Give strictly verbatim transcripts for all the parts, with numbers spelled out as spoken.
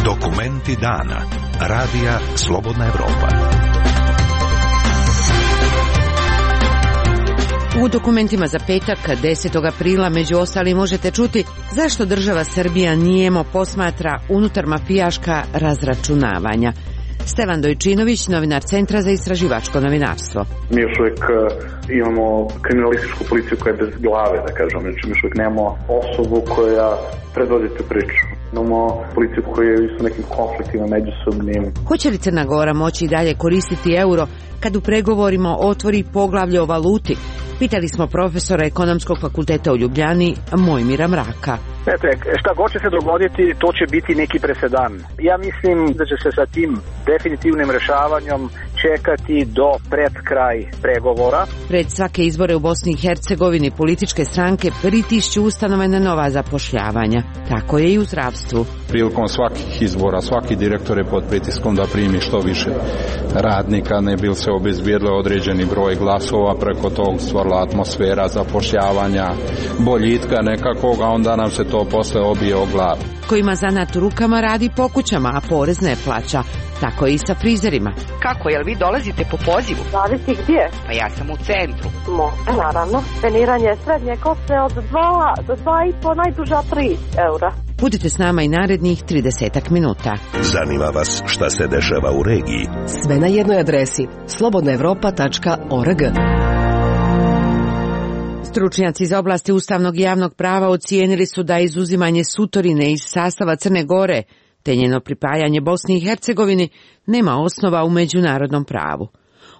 Dokumenti dana. Radija Slobodna Evropa. U dokumentima za petak, desetog aprila, među ostalim možete čuti zašto država Srbija nijemo posmatra unutar mafijaška razračunavanja. Stevan Dojčinović, novinar Centra za istraživačko novinarstvo. Mi još uvijek imamo kriminalističku policiju koja je bez glave, da kažem. Znači, mi još uvijek nemamo osobu koja predvodi tu priču. Imamo policiju koja je u nekim konfliktima međusobnim. Hoće li Crna Gora moći i dalje koristiti euro kad u pregovorima otvori poglavlje o valuti? Pitali smo profesora Ekonomskog fakulteta u Ljubljani, Mojmira Mraka. Znate, šta god će se dogoditi, to će biti neki presedan. Ja mislim da će se sa tim definitivnim rešavanjem čekati do pred kraj pregovora. Pred svake izbore u Bosni i Hercegovini političke stranke pritišću ustanove na nova zapošljavanja. Tako je i u zdravstvu. Prilikom svakih izbora, svaki direktor je pod pritiskom da primi što više radnika, ne bi se obezbijedilo određeni broj glasova, preko tog stvorila atmosfera zapošljavanja, boljitka nekakvog, a onda nam se to posle obije o glavu. Ko ima zanat u rukama radi po kućama, a porez ne plaća. Tako je i sa frizerima. Kako, jel vi dolazite po pozivu? Zavisi gdje? Pa ja sam u centru. Može, naravno. Treniranje srednje kose od dva do dva i po, najduža tri eura. Budite s nama i narednih tridesetak minuta. Zanima vas šta se dešava u regiji? Sve na jednoj adresi slobodna evropa tačka org. Stručnjaci iz oblasti ustavnog i javnog prava ocijenili su da izuzimanje Sutorine iz sastava Crne Gore te njeno pripajanje Bosni i Hercegovini nema osnova u međunarodnom pravu.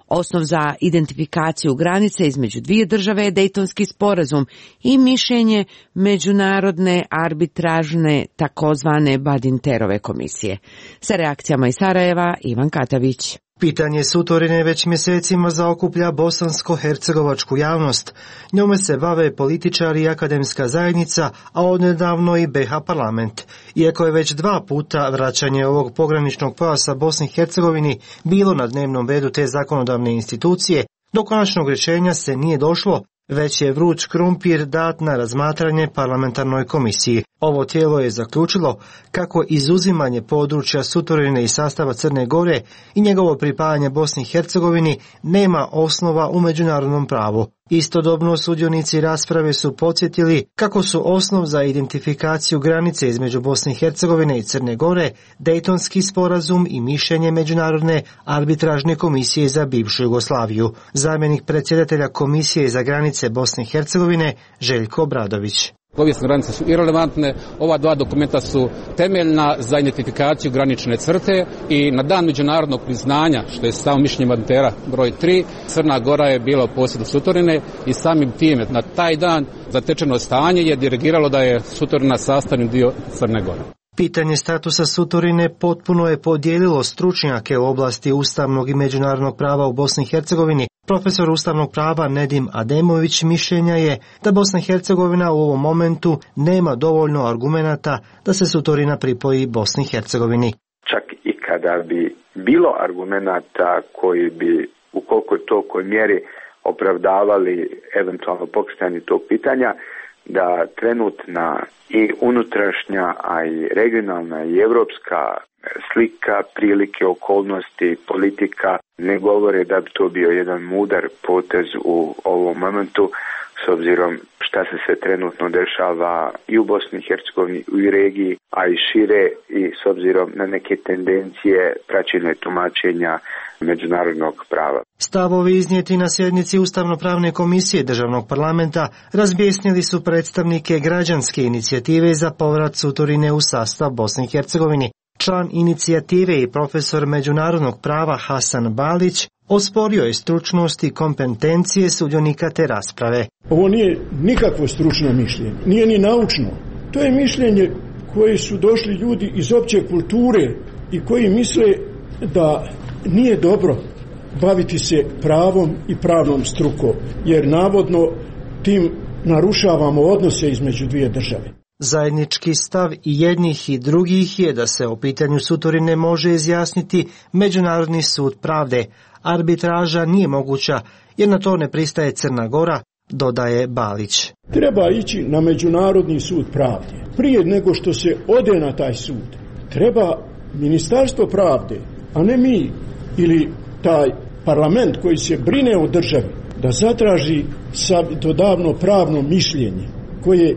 Osnov za identifikaciju granice između dvije države je Dejtonski sporazum i mišljenje međunarodne arbitražne takozvane Badinterove komisije. Sa reakcijama iz Sarajeva, Ivan Katavić. Pitanje Sutorine već mjesecima zaokuplja bosansko-hercegovačku javnost. Njome se bave političari i akademska zajednica, a odnedavno i B iH parlament. Iako je već dva puta vraćanje ovog pograničnog pojasa Bosni i Hercegovini bilo na dnevnom redu te zakonodavne institucije, do konačnog rješenja se nije došlo, već je vruć krumpir dat na razmatranje parlamentarnoj komisiji. Ovo tijelo je zaključilo kako izuzimanje područja Sutorine iz sastava Crne Gore i njegovo pripajanje Bosni i Hercegovini nema osnova u međunarodnom pravu. Istodobno sudionici rasprave su podsjetili kako su osnov za identifikaciju granice između Bosne i Hercegovine i Crne Gore Dejtonski sporazum i mišljenje Međunarodne arbitražne komisije za bivšu Jugoslaviju. Zamjenik predsjedatelja Komisije za granice Bosne i Hercegovine Željko Obradović. Povijesne granice su irelevantne, ova dva dokumenta su temeljna za identifikaciju granične crte i na dan međunarodnog priznanja, što je samo mišljenje Badintera broj tri, Crna Gora je bila u posjedu Sutorine i samim time na taj dan zatečeno stanje je dirigiralo da je Sutorina sastavni dio Crne Gore. Pitanje statusa Sutorine potpuno je podijelilo stručnjake u oblasti ustavnog i međunarodnog prava u Bosni i Hercegovini. Profesor ustavnog prava Nedim Ademović mišljenja je da Bosna i Hercegovina u ovom momentu nema dovoljno argumenata da se Sutorina pripoji Bosni i Hercegovini. Čak i kada bi bilo argumenata koji bi u koliko je to kojoj mjeri opravdavali eventualno pokretanje tog pitanja, da trenutna i unutrašnja, a i regionalna i evropska slika, prilike, okolnosti, politika ne govore da bi to bio jedan mudar potez u ovom momentu, s obzirom šta se sve trenutno dešava i u Bosni i Hercegovini, i u regiji, a i šire, i s obzirom na neke tendencije praćenja tumačenja međunarodnog prava. Stavovi iznijeti na sjednici Ustavno-pravne komisije Državnog parlamenta razbjesnili su predstavnike građanske inicijative za povrat Sutorine u sastav Bosne i Hercegovini. Član inicijative i profesor međunarodnog prava Hasan Balić osporio je stručnost i kompetencije sudionika te rasprave. Ovo nije nikakvo stručno mišljenje, nije ni naučno. To je mišljenje koje su došli ljudi iz opće kulture i koji misle da nije dobro baviti se pravom i pravnom strukom, jer navodno tim narušavamo odnose između dvije države. Zajednički stav i jednih i drugih je da se o pitanju Sutorine može izjasniti Međunarodni sud pravde. Arbitraža nije moguća jer na to ne pristaje Crna Gora, dodaje Balić. Treba ići na Međunarodni sud pravde. Prije nego što se ode na taj sud, treba Ministarstvo pravde, a ne mi ili taj parlament koji se brine o državi, da zatraži savjetodavno pravno mišljenje koje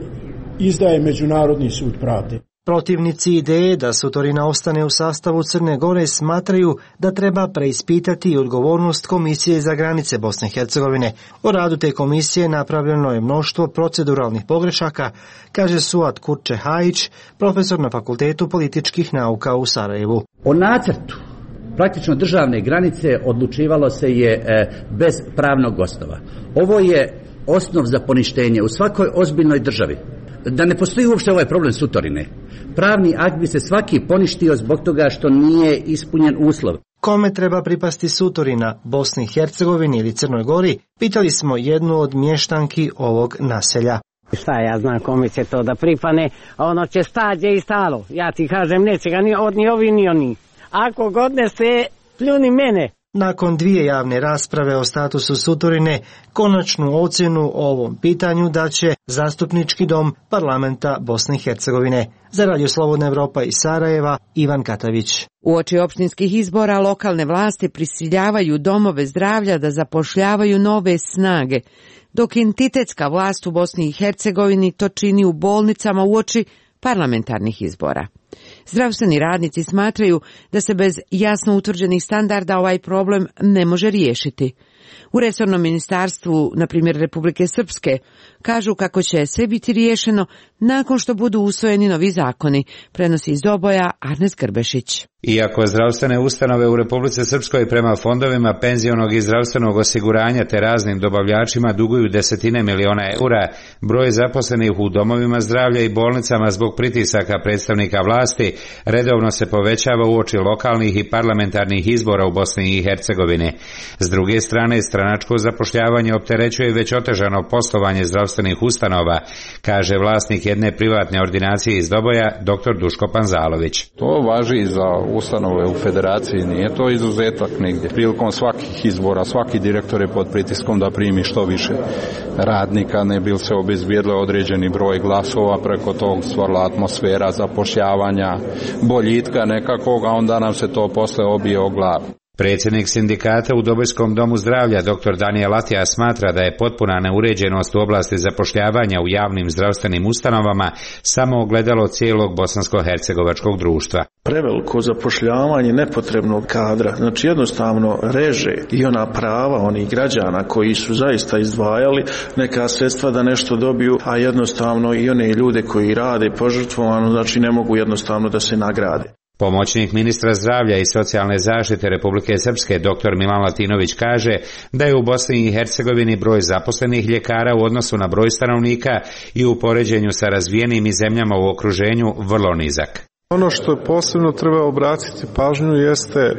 izdaje Međunarodni sud pravde. Protivnici ideje da Sutorina ostane u sastavu Crne Gore smatraju da treba preispitati odgovornost Komisije za granice Bosne i Hercegovine. O radu te komisije napravljeno je mnoštvo proceduralnih pogrešaka, kaže Suat Kurče-Hajić, profesor na Fakultetu političkih nauka u Sarajevu. O nacrtu praktično državne granice odlučivalo se je e, bez pravnog osnova. Ovo je osnov za poništenje u svakoj ozbiljnoj državi. Da ne postoji uopšte ovaj problem Sutorine. Pravni akt bi se svaki poništio zbog toga što nije ispunjen uslov. Kome treba pripasti Sutorina, Bosni i Hercegovini ili Crnoj Gori, pitali smo jednu od mještanki ovog naselja. Šta ja znam kome će to da pripane, a ono će stađe i stalo. Ja ti kažem, neće ga ni od ni ovi ni oni. Ako god ne se pljuni mene. Nakon dvije javne rasprave o statusu Sutorine, konačnu ocjenu o ovom pitanju daće Zastupnički dom parlamenta Bosne i Hercegovine. Za Radio Slobodna Evropa iz Sarajeva, Ivan Katavić. Uoči opštinskih izbora lokalne vlasti prisiljavaju domove zdravlja da zapošljavaju nove snage, dok entitetska vlast u Bosni i Hercegovini to čini u bolnicama uoči parlamentarnih izbora. Zdravstveni radnici smatraju da se bez jasno utvrđenih standarda ovaj problem ne može riješiti. U resornom ministarstvu, na primjer Republike Srpske, kažu kako će sve biti riješeno nakon što budu usvojeni novi zakoni, prenosi iz Doboja Arnes Grbešić. Iako zdravstvene ustanove u Republici Srpskoj prema fondovima penzionog i zdravstvenog osiguranja te raznim dobavljačima duguju desetine miliona eura, broj zaposlenih u domovima zdravlja i bolnicama zbog pritisaka predstavnika vlasti redovno se povećava uoči lokalnih i parlamentarnih izbora u Bosni i Hercegovini. S druge strane, stranačko zapošljavanje opterećuje već otežano poslovanje zdravstvenih ustanova, kaže vlasnik jedne privatne ordinacije iz Doboja, doktor Duško Panzalović. To važi za ustanove u federaciji, nije to izuzetak nigdje. Prilikom svakih izbora, svaki direktor je pod pritiskom da primi što više radnika, ne bi se obezbijedilo određeni broj glasova, preko tog stvorila atmosfera zapošljavanja, boljitka nekakvog, a onda nam se to posle obije o glavu. Predsjednik sindikata u Dobojskom domu zdravlja dr Danijel Latija smatra da je potpuna neuređenost u oblasti zapošljavanja u javnim zdravstvenim ustanovama samo ogledalo cijelog bosansko-hercegovačkog društva. Preveliko zapošljavanje nepotrebnog kadra, znači jednostavno reže i ona prava onih građana koji su zaista izdvajali neka sredstva da nešto dobiju, a jednostavno i one ljude koji rade požrtvovano, znači ne mogu jednostavno da se nagrade. Pomoćnik ministra zdravlja i socijalne zaštite Republike Srpske dr Milan Latinović kaže da je u Bosni i Hercegovini broj zaposlenih ljekara u odnosu na broj stanovnika i u poređenju sa razvijenim i zemljama u okruženju vrlo nizak. Ono što posebno treba obratiti pažnju jeste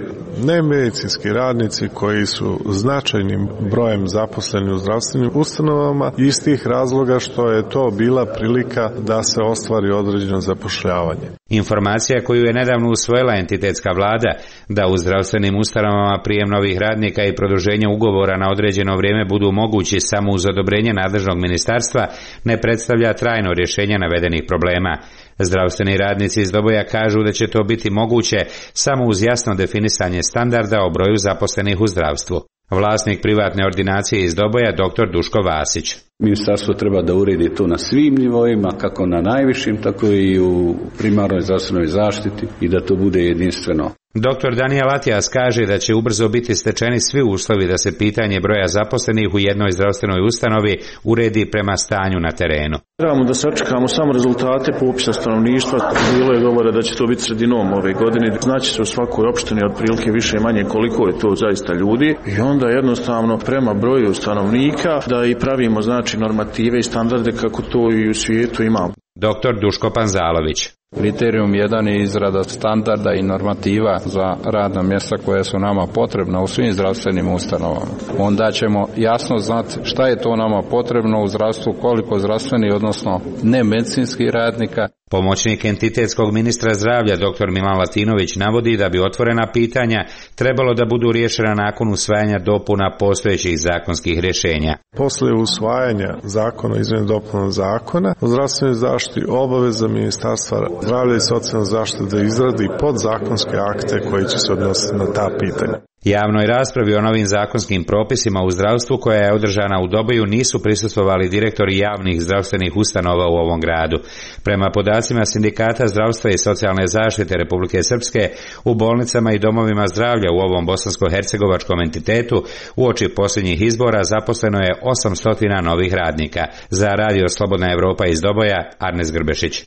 nemedicinski radnici koji su značajnim brojem zaposleni u zdravstvenim ustanovama iz tih razloga što je to bila prilika da se ostvari određeno zapošljavanje. Informacija koju je nedavno usvojila entitetska vlada da u zdravstvenim ustanovama prijem novih radnika i produženje ugovora na određeno vrijeme budu mogući samo uz odobrenje nadležnog ministarstva ne predstavlja trajno rješenje navedenih problema. Zdravstveni radnici iz Doboja kažu da će to biti moguće samo uz jasno definisanje standarda o broju zaposlenih u zdravstvu. Vlasnik privatne ordinacije iz Doboja, dr Duško Vasić. Ministarstvo treba da uredi to na svim nivoima, kako na najvišim, tako i u primarnoj zdravstvenoj zaštiti i da to bude jedinstveno. Doktor Danijel Atijas kaže da će ubrzo biti stečeni svi uslovi da se pitanje broja zaposlenih u jednoj zdravstvenoj ustanovi uredi prema stanju na terenu. Trebamo da sačekamo samo rezultate popisa stanovništva. Bilo je govora da će to biti sredinom ove godine. Znači se u svakoj opštini otprilike više i manje koliko je to zaista ljudi i onda jednostavno prema broju stanovnika da i pravimo znači normative i standarde kako to i u svijetu imamo. Doktor Duško Panzalović. Kriterijum jedan je izrada standarda i normativa za radna mjesta koja su nama potrebna u svim zdravstvenim ustanovama. Onda ćemo jasno znati šta je to nama potrebno u zdravstvu, koliko zdravstveni, odnosno nemedicinskih radnika. Pomoćnik entitetskog ministra zdravlja dr Milan Latinović navodi da bi otvorena pitanja trebalo da budu riješena nakon usvajanja dopuna postojećih zakonskih rješenja. Posle usvajanja zakona, izmjene dopuna zakona o zdravstvenoj zaštiti, obaveza Ministarstva zdravlja i socijalne zaštite da izradi podzakonske akte koji će se odnositi na ta pitanja. Javnoj raspravi o novim zakonskim propisima u zdravstvu koja je održana u Doboju nisu prisustvovali direktori javnih zdravstvenih ustanova u ovom gradu. Prema podacima Sindikata zdravstva i socijalne zaštite Republike Srpske, u bolnicama i domovima zdravlja u ovom bosansko-hercegovačkom entitetu uoči posljednjih izbora zaposleno je osamsto novih radnika. Za Radio Slobodna Evropa iz Doboja, Arnes Grbešić.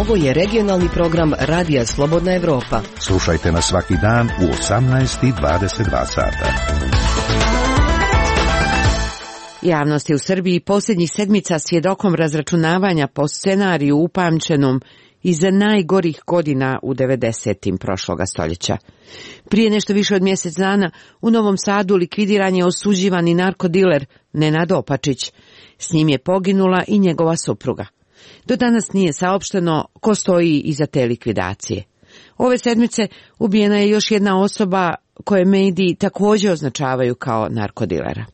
Ovo je regionalni program Radija Slobodna Evropa. Slušajte nas svaki dan u osamnaest i dvadeset dva sata. Javnost je u Srbiji posljednjih sedmica svjedokom razračunavanja po scenariju upamćenom iza najgorih godina u devedesetim prošloga stoljeća. Prije nešto više od mjesec dana u Novom Sadu likvidiran je osuđivani narkodiler Nenad Opačić. S njim je poginula i njegova supruga. Do danas nije saopšteno ko stoji iza te likvidacije. Ove sedmice ubijena je još jedna osoba koje mediji također označavaju kao narkodilera.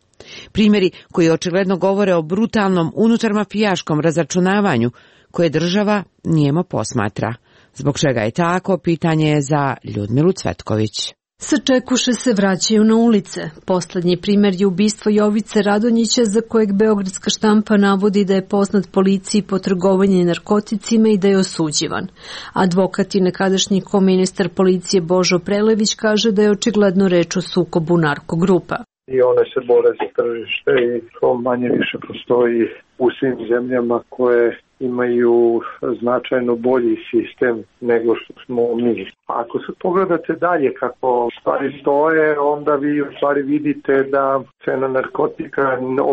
Primjeri koji očigledno govore o brutalnom unutarmafijaškom razračunavanju koje država nijemo posmatra. Zbog čega je tako, pitanje je za Ljudmilu Cvetković. Sačekuše se vraćaju na ulice. Poslednji primjer je ubistvo Jovice Radonjića, za kojeg beogradska štampa navodi da je poznat policiji po trgovanju narkoticima i da je osuđivan. Advokat i nekadašnji koministar policije Božo Prelević kaže da je očigledno reč o sukobu narkogrupa. I one se bore za tržište i to manje više postoji u svim zemljama koje imaju značajno bolji sistem nego što smo mi. Ako se pogledate dalje kako stvari stoje, onda vi u stvari vidite da cena narkotika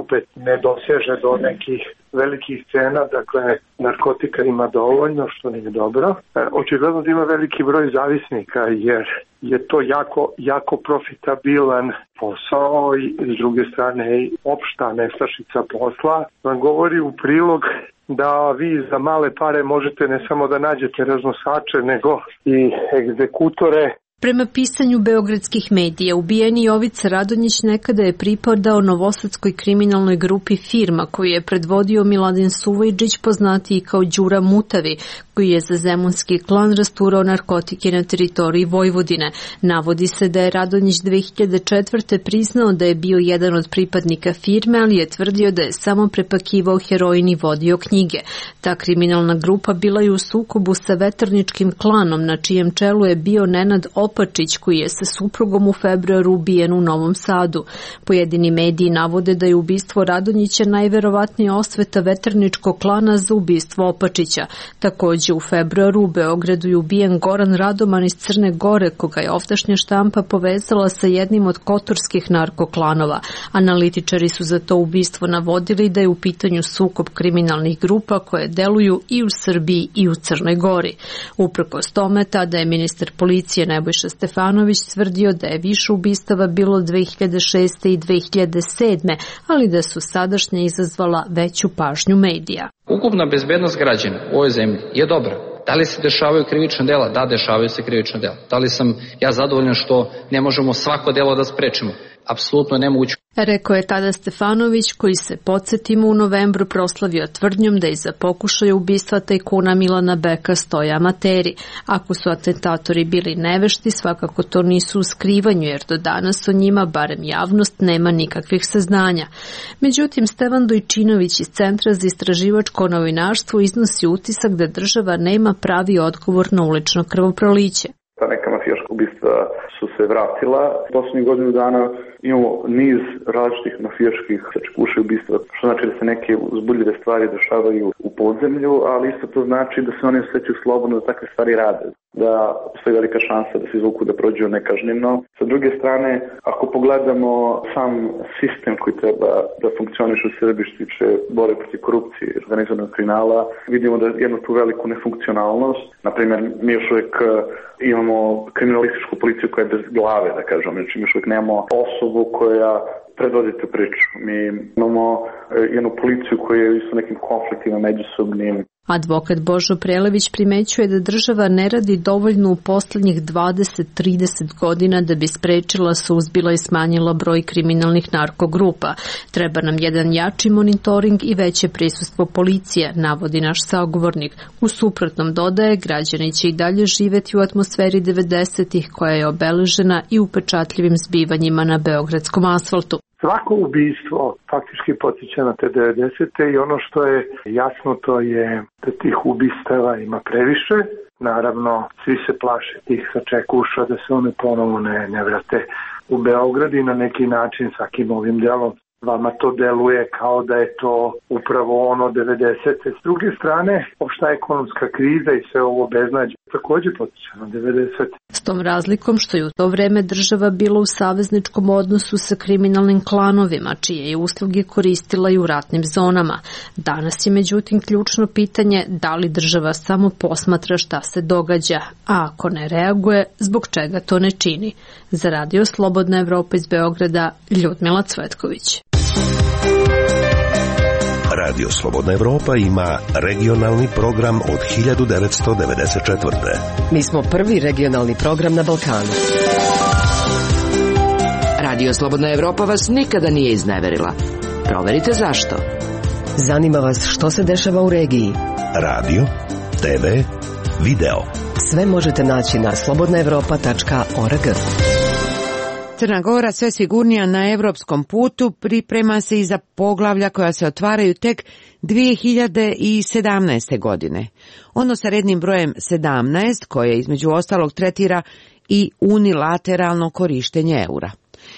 opet ne doseže do nekih velikih cena, dakle narkotika ima dovoljno, što nije dobro. Očigledno da ima veliki broj zavisnika jer je to jako, jako profitabilan posao i s druge strane opšta nestašica posla vam govori u prilog da vi za male pare možete ne samo da nađete raznosače, nego i egzekutore. Prema pisanju beogradskih medija, ubijeni Jovica Radonjić nekada je pripadao novosadskoj kriminalnoj grupi Firma, koju je predvodio Miladin Suvajđić, poznatiji kao Đura Mutavi, koji je za zemunski klan rasturao narkotike na teritoriji Vojvodine. Navodi se da je Radonjić dve hiljade četvrte. priznao da je bio jedan od pripadnika Firme, ali je tvrdio da je samo prepakivao heroin i vodio knjige. Ta kriminalna grupa bila je u sukobu sa veterničkim klanom, na čijem čelu je bio Nenad Opačić, koji je sa suprugom u februaru ubijen u Novom Sadu. Pojedini mediji navode da je ubistvo Radonjića najverovatnije osveta veterničkog klana za ubistvo Opačića. Također u februaru u Beogradu je ubijen Goran Radoman iz Crne Gore, koga je ovdašnja štampa povezala sa jednim od kotorskih narkoklanova. Analitičari su za to ubistvo navodili da je u pitanju sukob kriminalnih grupa koje deluju i u Srbiji i u Crnoj Gori. Uprkos tome, tada je ministar policije Nebojša Stefanović tvrdio da je više ubistava bilo dve hiljade šeste. i dve hiljade sedme. ali da su sadašnje izazvala veću pažnju medija. Ukupna bezbednost građana u ovoj zemlji je dobra. Da li se dešavaju krivična dela? Da, dešavaju se krivična dela. Da li sam ja zadovoljan što ne možemo svako delo da sprečimo? Apsolutno nemoguće. Rekao je tada Stefanović, koji se, podsjetimo, u novembru proslavio tvrdnjom da iza pokušaja ubistva tajkuna Milana Beka stoje amateri. Ako su atentatori bili nevešti, svakako to nisu u skrivanju, jer do danas o njima, barem javnost, nema nikakvih saznanja. Međutim, Stevan Dojčinović iz Centra za istraživačko novinarstvo iznosi utisak da država nema pravi odgovor na ulično krvoproliće. Ta neka mafijaška ubistva su se vratila. Poslednjih godinu dana imamo niz različitih mafijaških sačekuša ubistva, što znači da se neke uzbudljive stvari dešavaju u podzemlju, ali isto to znači da se oni osjećaju slobodno da takve stvari rade, da postoji velika šansa da se izvuku da prođu nekažnjeno. Sa druge strane, ako pogledamo sam sistem koji treba da funkcioniše u Srbiji što tiče borbe protiv korupcije i organizovanog kriminala, vidimo da jednu tu veliku nefunkcionalnost. Naprimjer, mi još uvijek imamo kriminalističku policiju koja je bez glave, da kažem, znači mi još uvijek nemamo osobu koja predvodi tu priču. Mi imamo jednu policiju koja je u nekim konfliktima međusobnim. Advokat Božo Prelević primećuje da država ne radi dovoljno u poslednjih dvadeset do trideset godina da bi sprečila, suzbila i smanjila broj kriminalnih narkogrupa. Treba nam jedan jači monitoring i veće prisustvo policije, navodi naš sagovornik. U suprotnom, dodaje, građani će i dalje živeti u atmosferi devedesetih koja je obeležena i upečatljivim zbivanjima na beogradskom asfaltu. Svako ubistvo faktički podsjeća na te devedesete i ono što je jasno to je da tih ubistava ima previše. Naravno, svi se plaše tih sačekuša da se one ponovo ne, ne vrate u Beograd i na neki način svakim ovim delom vama to deluje kao da je to upravo ono devedesete. S druge strane, opšta ekonomska kriza i sve ovo beznađe takođe potiče na devedesete. S tom razlikom što je u to vreme država bila u savezničkom odnosu sa kriminalnim klanovima, čije je usluge koristila i u ratnim zonama. Danas je međutim ključno pitanje da li država samo posmatra šta se događa, a ako ne reaguje, zbog čega to ne čini. Za Radio Slobodna Evropa iz Beograda, Ljudmila Cvetković. Radio Slobodna Evropa ima regionalni program od hiljadu devetsto devedeset četvrte. Mi smo prvi regionalni program na Balkanu. Radio Slobodna Evropa vas nikada nije izneverila. Proverite zašto. Zanima vas što se dešava u regiji. Radio, te ve, video. Sve možete naći na slobodna evropa tačka org. Crna Gora, sve sigurnija na evropskom putu, priprema se i za poglavlja koja se otvaraju tek dvije hiljade sedamnaeste. godine. Ono sa rednim brojem sedamnaest, koje između ostalog tretira i unilateralno korištenje eura.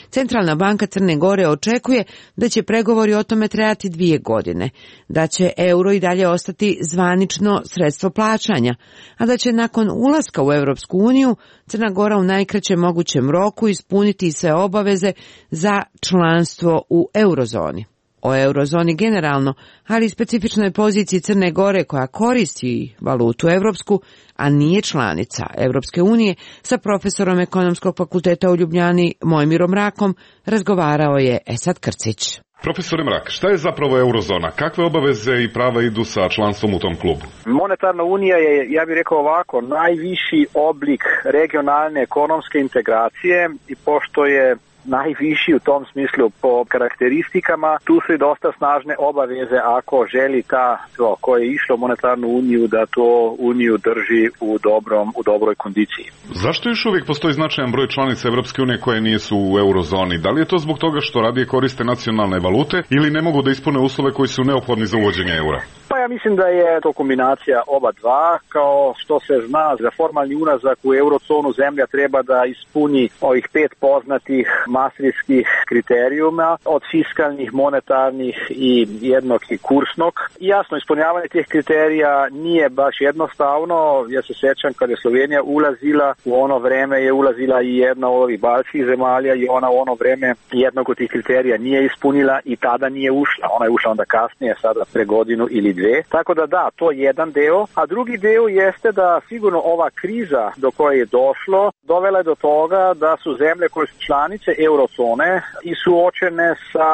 Centralna banka Crne Gore očekuje da će pregovori o tome trajati dvije godine, da će euro i dalje ostati zvanično sredstvo plaćanja, a da će nakon ulaska u Evropsku uniju Crna Gora u najkraćem mogućem roku ispuniti sve obaveze za članstvo u eurozoni. O eurozoni generalno, ali i specifičnoj poziciji Crne Gore koja koristi valutu evropsku, a nije članica Evropske unije, sa profesorom Ekonomskog fakulteta u Ljubljani Mojmirom Rakom razgovarao je Esad Krcić. Profesore Mrak, šta je zapravo eurozona? Kakve obaveze i prava idu sa članstvom u tom klubu? Monetarna unija je, ja bih rekao ovako, najviši oblik regionalne ekonomske integracije i pošto je najviši u tom smislu po karakteristikama, tu su i dosta snažne obaveze ako želi ta to, ko je išlo u monetarnu uniju da to uniju drži u dobrom u dobroj kondiciji. Zašto još uvijek postoji značajan broj članica Evropske unije koje nisu u eurozoni? Da li je to zbog toga što radije koriste nacionalne valute ili ne mogu da ispune uslove koji su neophodni za uvođenje eura? Pa ja mislim da je to kombinacija oba dva. Kao što se zna, za formalni ulazak u eurozonu zemlja treba da ispuni ovih pet poznatih maastrichtskih kriterijuma od fiskalnih, monetarnih i jednog i kursnog. I jasno, ispunjavanje tih kriterija nije baš jednostavno. Ja se sjećam kada je Slovenija ulazila, u ono vreme je ulazila i jedna od ovih baltskih zemalja i ona u ono vreme jednog od tih kriterija nije ispunila i tada nije ušla. Ona je ušla onda kasnije, sada pre godinu ili dve. Tako da da, to je jedan deo. A drugi deo jeste da sigurno ova kriza do koje je došlo dovela je do toga da su zemlje koje su članice eurozone i suočene sa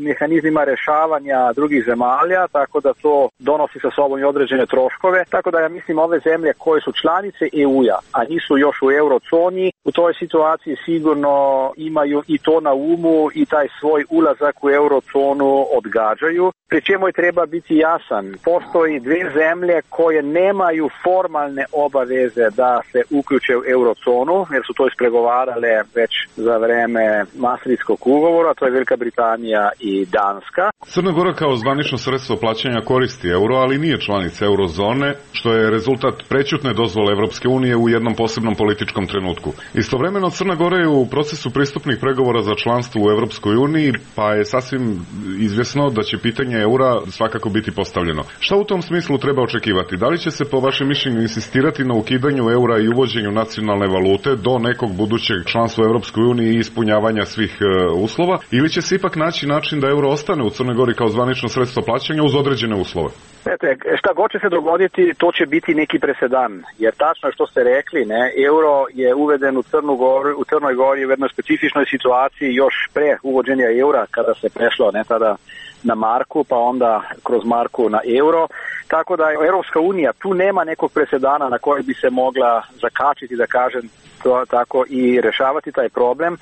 mehanizmima rešavanja drugih zemalja, tako da to donosi sa sobom i određene troškove. Tako da ja mislim ove zemlje koje su članice E U-a, a nisu još u eurozoni, u toj situaciji sigurno imaju i to na umu i taj svoj ulazak u eurozonu odgađaju. Pri čemu je treba biti jasan. Postoji dve zemlje koje nemaju formalne obaveze da se uključe u eurozonu, jer su to ispregovarale već za vreme Maastrichtskog ugovora, to je Velika Britanija i Danska. Crna Gora kao zvanično sredstvo plaćanja koristi euro, ali nije članica eurozone, što je rezultat prećutne dozvole Evropske unije u jednom posebnom političkom trenutku. Istovremeno Crna Gora je u procesu pristupnih pregovora za članstvo u Evropskoj uniji, pa je sasvim izvjesno da će pitanje eura svakako biti postavljeno. Šta u tom smislu treba očekivati? Da li će se po vašem mišljenju insistirati na ukidanju eura i uvođenju nacionalne valute do nekog budućeg članstva u Evropskoj uniji i ispunjavanja svih e, uslova, ili će se ipak naći način da euro ostane u Crnoj Gori kao zvanično sredstvo plaćanja uz određene uslove? Ete, šta god će se dogoditi, to će biti neki presedan, jer tačno je što ste rekli, ne, euro je uveden u Crnu Goru, u Crnoj Gori u jednoj specifičnoj situaciji još pre uvođenja eura, kada se prešlo ne tada na marku, pa onda kroz marku na euro. Tako da Europska unija tu nema nekog presedana na koji bi se mogla zakačiti, da kažem to tako, i rešavati taj problem.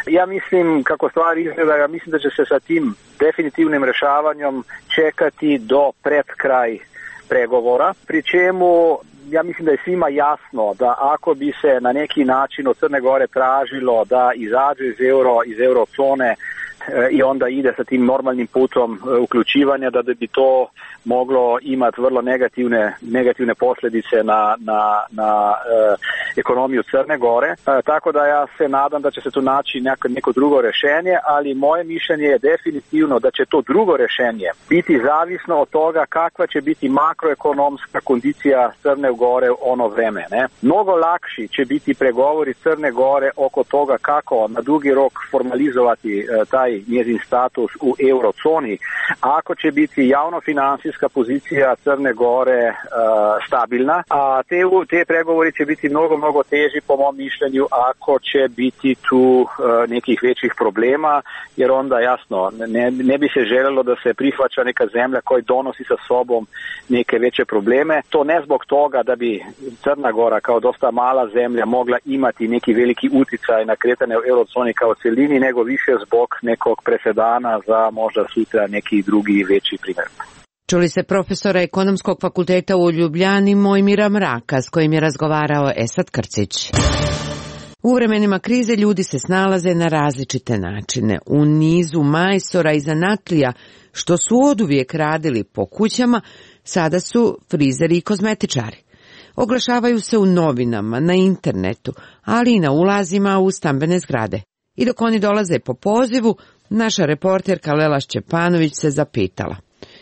Ja mislim, kako stvari izgleda, ja mislim da će se sa tim definitivnim rešavanjem čekati do pred kraj pregovora, pri čemu ja mislim da je svima jasno da ako bi se na neki način od Crne Gore tražilo da izađe iz euro, iz eurozone i onda ide sa tim normalnim putom uključivanja, da bi to moglo imati vrlo negativne, negativne posljedice na, na, na e, ekonomiju Crne Gore. E, tako da ja se nadam da će se tu naći neko, neko drugo rješenje, ali moje mišljenje je definitivno da će to drugo rješenje biti zavisno od toga kakva će biti makroekonomska kondicija Crne Gore ono vreme. Ne? Mnogo lakši će biti pregovori Crne Gore oko toga kako na dugi rok formalizovati e, taj njezin status u eurozoni, ako će biti javno-financijska pozicija Crne Gore uh, stabilna, a te, te pregovori će biti mnogo, mnogo teži po mom mišljenju ako će biti tu uh, nekih većih problema, jer onda jasno ne, ne bi se željelo da se prihvaća neka zemlja koja donosi sa sobom neke veće probleme. To ne zbog toga da bi Crna Gora kao dosta mala zemlja mogla imati neki veliki uticaj na kretanje u eurozoni kao celini, nego više zbog nekog presedana za možda sutra neki drugi veći primjer. Čuli se profesora Ekonomskog fakulteta u Ljubljani Mojmira Mraka, s kojim je razgovarao Esad Krcić. U vremenima krize ljudi se snalaze na različite načine. U nizu majstora i zanatlija, što su oduvijek radili po kućama, sada su frizeri i kozmetičari. Oglašavaju se u novinama, na internetu, ali i na ulazima u stambene zgrade. I dok oni dolaze po pozivu, naša reporterka Lela Šćepanović se zapitala: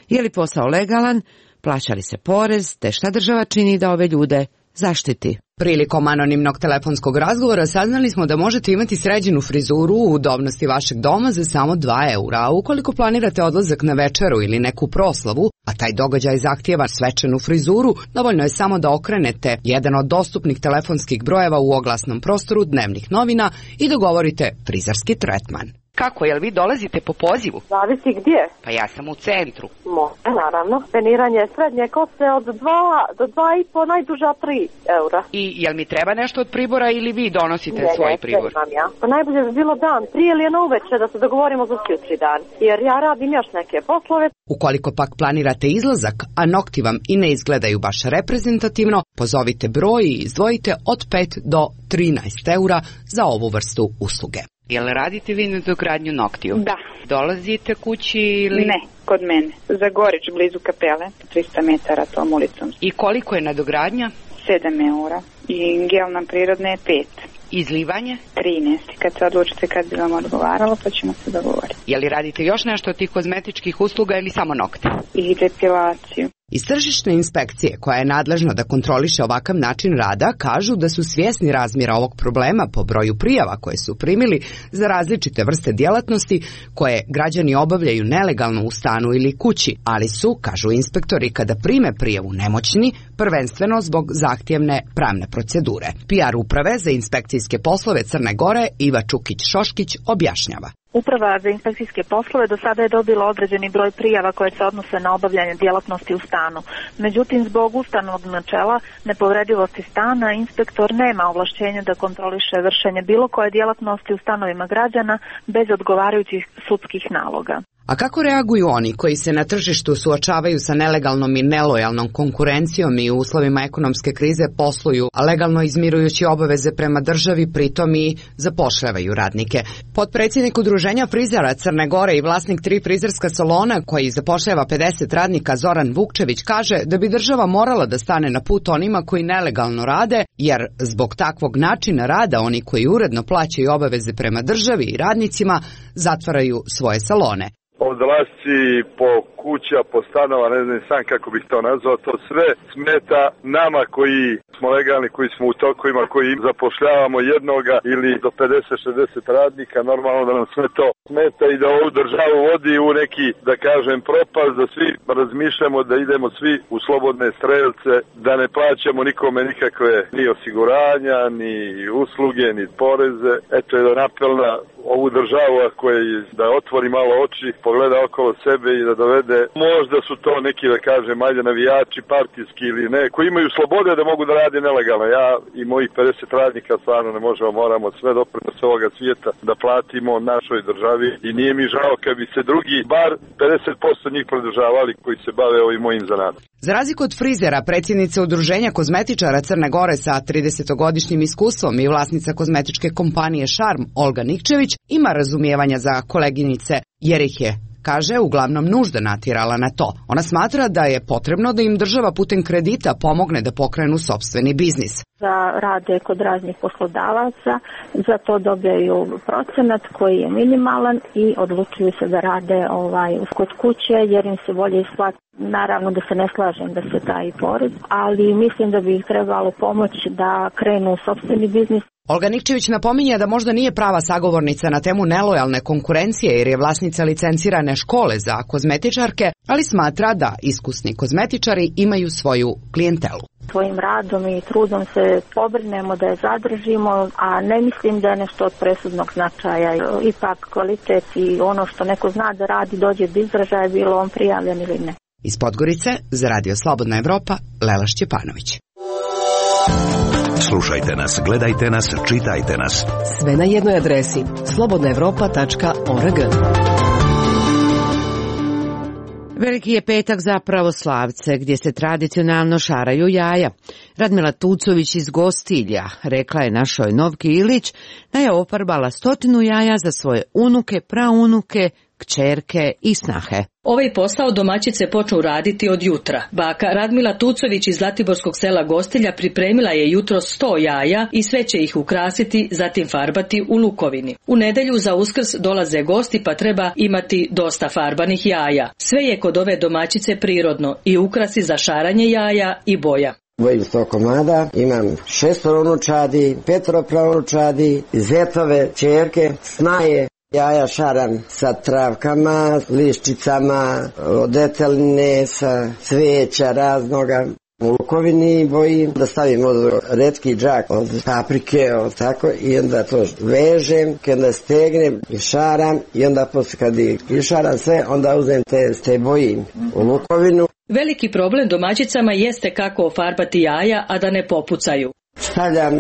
je li posao legalan, plaća li se porez, te šta država čini da ove ljude zaštiti? Prilikom anonimnog telefonskog razgovora saznali smo da možete imati sređenu frizuru u udobnosti vašeg doma za samo dva eura, a ukoliko planirate odlazak na večeru ili neku proslavu, a taj događaj zahtijeva svečanu frizuru, dovoljno je samo da okrenete jedan od dostupnih telefonskih brojeva u oglasnom prostoru dnevnih novina i dogovorite frizerski tretman. Kako, jel vi dolazite po pozivu? Zavisi gdje. Pa ja sam u centru. Može, naravno. Peniranje srednje kose od dva do dva i po, najduža tri eura. I jel mi treba nešto od pribora ili vi donosite ne, svoj ne, pribor? Ne, ja. Pa najbolje bi bilo dan prije ili na uveče da se dogovorimo za sutri dan. Jer ja radim još neke poslove. Ukoliko pak planirate izlazak, a nokti vam i ne izgledaju baš reprezentativno, pozovite broj i izdvojite od pet do trinaest eura za ovu vrstu usluge. Jel radite vi nadogradnju noktiju? Da. Dolazite kući ili... Ne, kod mene. Za Gorić, blizu kapele, trista metara tom ulicom. I koliko je nadogradnja? sedam eura. I gel nam prirodne je pet. Izlivanje? trinaest. Kad se odlučite kad bi vam odgovaralo, pa ćemo se dogovoriti. Je li radite još nešto od tih kozmetičkih usluga ili samo nokte? I depilaciju. Iz tržišne inspekcije, koja je nadležna da kontroliše ovakav način rada, kažu da su svjesni razmjera ovog problema po broju prijava koje su primili za različite vrste djelatnosti koje građani obavljaju nelegalno u stanu ili kući, ali su, kažu inspektori, kada prime prijavu nemoćni, prvenstveno zbog zahtjevne pravne procedure. P R uprave za inspekcijske poslove Crne Gore Iva Čukić-Šoškić objašnjava. Uprava za inspekcijske poslove do sada je dobila određeni broj prijava koje se odnose na obavljanje djelatnosti u stanu. Međutim, zbog ustavnog načela nepovredivosti stana, inspektor nema ovlašćenja da kontroliše vršenje bilo koje djelatnosti u stanovima građana bez odgovarajućih sudskih naloga. A kako reaguju oni koji se na tržištu suočavaju sa nelegalnom i nelojalnom konkurencijom i u uslovima ekonomske krize posluju, a legalno izmirujući obaveze prema državi, pritom i zapošljavaju radnike? Potpredsjednik Udruženja frizera Crne Gore i vlasnik tri frizerska salona koji zapošljava pedeset radnika Zoran Vukčević kaže da bi država morala da stane na put onima koji nelegalno rade, jer zbog takvog načina rada oni koji uredno plaćaju obaveze prema državi i radnicima zatvaraju svoje salone. odlasci po kuća, po stanova, ne znam sam kako bih to nazvao, to sve smeta nama koji smo legalni, koji smo u tokovima, koji zapošljavamo jednoga ili do pedeset šezdeset radnika, normalno da nam sve to smeta i da ovu državu vodi u neki, da kažem, propast, da svi razmišljamo da idemo svi u slobodne strelce, da ne plaćamo nikome nikakve ni osiguranja, ni usluge, ni poreze. Eto jedan apel na ovu državu koja da otvori malo oči, pogleda okolo sebe i da dovede, možda su to neki, da kažem, ajde navijači, partijski ili ne, koji imaju slobode da mogu da rade nelegalno. Ja i mojih pedeset radnika stvarno ne možemo, moramo sve doprinose ovoga svijeta da platimo našoj državi i nije mi žao kad bi se drugi, bar pedeset posto njih pridržavali koji se bave ovim mojim zanatom. Za razliku od frizera, predsjednica Udruženja kozmetičara Crne Gore sa tridesetogodišnjim iskustvom i vlasnica kozmetičke kompanije Šarm, Olga Nikčević, ima razumijevanja za koleginice, jer ih je, kaže, uglavnom nužda natjerala na to. Ona smatra da je potrebno da im država putem kredita pomogne da pokrenu sopstveni biznis. Da rade kod raznih poslodavaca, za to dobijaju procenat koji je minimalan i odlučuju se da rade ovaj, kod kuće jer im se bolje isplati. Naravno da se ne slažem da se taji porez, ali mislim da bi ih trebalo pomoći da krenu u sopstveni biznis. Olga Nikčević napominje da možda nije prava sagovornica na temu nelojalne konkurencije jer je vlasnica licencirane škole za kozmetičarke, ali smatra da iskusni kozmetičari imaju svoju klijentelu. Svojim radom i trudom se pobrinemo da je zadržimo, a ne mislim da je nešto od presudnog značaja. Ipak kvalitet i ono što neko zna da radi dođe do izražaja, bilo on prijavljen ili ne. Iz Podgorice za Radio Slobodna Evropa, Lela Šćepanović. Slušajte nas, gledajte nas, čitajte nas. Sve na jednoj adresi slobodna evropa tačka org. Veliki je petak za pravoslavce, gdje se tradicionalno šaraju jaja. Radmila Tucović iz Gostilja rekla je našoj Novki Ilić da je ofarbala stotinu jaja za svoje unuke, praunuke, kćerke i snahe. Ovaj posao domaćice počnu raditi od jutra. Baka Radmila Tucović iz Zlatiborskog sela Gostilja pripremila je jutro sto jaja i sve će ih ukrasiti, zatim farbati u lukovini. U nedelju za Uskrs dolaze gosti pa treba imati dosta farbanih jaja. Sve je kod ove domaćice prirodno, i ukrasi za šaranje jaja i boja. Bojim sto komada, imam šestoro unučadi, petoro praunučadi, zetove, ćerke, snaje. Jaja šaram sa travkama, liščicama, od deteline, sa cveća raznoga. U lukovini bojim da stavim od retki džak od paprike, od tako, i onda to vežem, kada stegnem i šaram, i onda posle kad išaram sve, onda uzem te, te bojim u lukovinu. Veliki problem domaćicama jeste kako ofarbati jaja, a da ne popucaju. Stavljam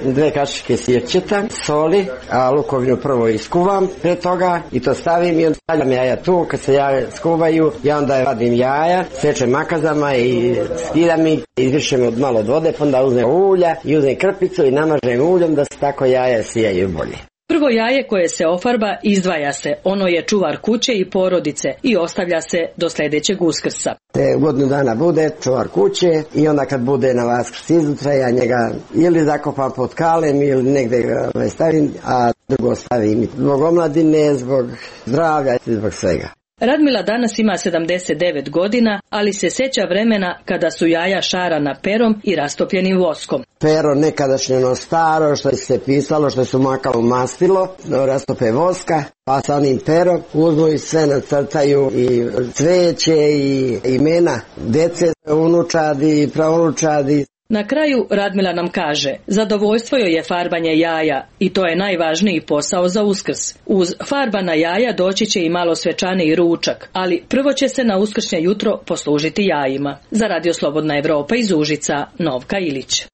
dve kašike sirćeta, soli, a lukovinu prvo iskuvam pre toga i to stavim i onda stavljam jaja tu. Kad se jaja skuvaju, ja onda vadim jaja, sečem makazama i skidam ih, izvišem od malo od vode, pa onda uzmem ulja i uzmem krpicu i namažem uljom da se tako jaja sijaju bolje. Prvo jaje koje se ofarba izdvaja se, ono je čuvar kuće i porodice i ostavlja se do sljedećeg Uskrsa. Te godinu dana bude čuvar kuće i onda kad bude na Vaskrs izutra, ja njega ili zakopam pod kalem ili negde ga stavim, a drugo stavim zbog omladine, zbog zdravlja i zbog svega. Radmila danas ima sedamdeset devet godina, ali se sjeća vremena kada su jaja šarana perom i rastopljenim voskom. Pero nekadašnje ono staro što se pisalo, što su makalo mastilo, rastope voska, pa sa onim perom uzmu i sve nacrtaju i cveće i imena dece, unučadi, praunučadi. Na kraju Radmila nam kaže, zadovoljstvo joj je farbanje jaja i to je najvažniji posao za Uskrs. Uz farbana jaja doći će i malo svečaniji ručak, ali prvo će se na uskršnje jutro poslužiti jajima. Za Radio Slobodna Evropa iz Užica, Novka Ilić.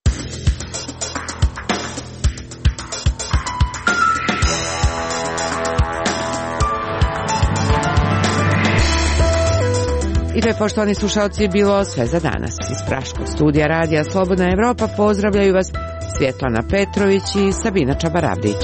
I to je, poštovani slušalci, bilo sve za danas. Iz Praškog studija Radija Slobodna Evropa pozdravljaju vas Svjetlana Petrović i Sabina Čabaravdić.